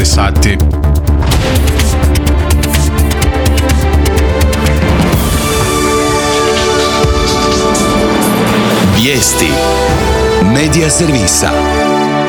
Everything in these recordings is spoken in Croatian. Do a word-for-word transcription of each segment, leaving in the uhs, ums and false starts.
devetnaest sati. Vijesti Medija servisa.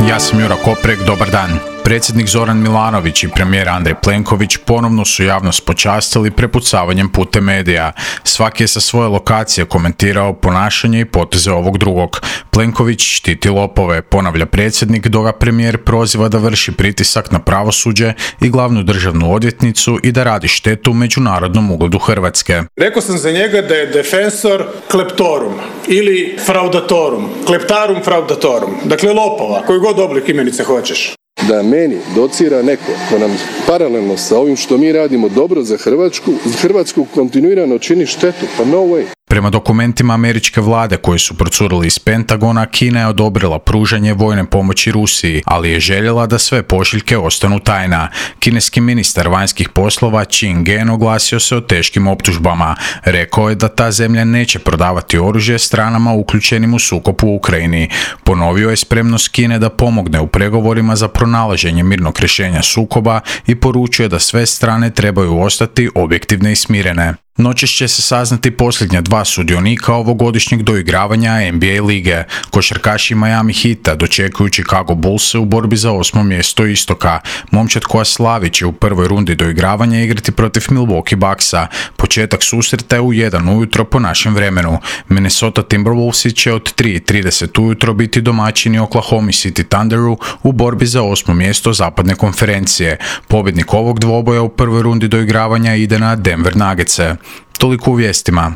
Ja sam Jura Koprek, dobar dan. Predsjednik Zoran Milanović i premijer Andrej Plenković ponovno su javnost počastili prepucavanjem putem medija. Svaki je sa svoje lokacije komentirao ponašanje i poteze ovog drugog. Plenković štiti lopove, ponavlja predsjednik, dok ga premijer proziva da vrši pritisak na pravosuđe i glavnu državnu odvjetnicu i da radi štetu međunarodnom ugledu Hrvatske. Rekao sam za njega da je defensor kleptorum ili fraudatorum, kleptarum fraudatorum, dakle lopova, koji god oblik imenice hoćeš. Da meni docira neko ko nam paralelno sa ovim što mi radimo dobro za Hrvatsku, Hrvatsku kontinuirano čini štetu, pa no way. Prema dokumentima američke vlade koji su procurili iz Pentagona, Kina je odobrila pružanje vojne pomoći Rusiji, ali je željela da sve pošiljke ostanu tajna. Kineski ministar vanjskih poslova Qin Gen oglasio se o teškim optužbama. Rekao je da ta zemlja neće prodavati oružje stranama uključenim u sukob u Ukrajini. Ponovio je spremnost Kine da pomogne u pregovorima za pronalaženje mirnog rješenja sukoba i poručuje da sve strane trebaju ostati objektivne i smirene. Noćas će se saznati posljednja dva sudionika ovogodišnjeg doigravanja N B A lige. Košarkaši Miami Heata dočekuju Chicago Bullse u borbi za osmo mjesto istoka. Momčad koja slavi će u prvoj rundi doigravanja igrati protiv Milwaukee Bucksa. Početak susreta je u jedan ujutro po našem vremenu. Minnesota Timberwolvesi će od tri i trideset ujutro biti domaćini Oklahoma City Thunderu u borbi za osmo mjesto zapadne konferencije. Pobjednik ovog dvoboja u prvoj rundi doigravanja ide na Denver Nuggetse. Toliko u vijestima.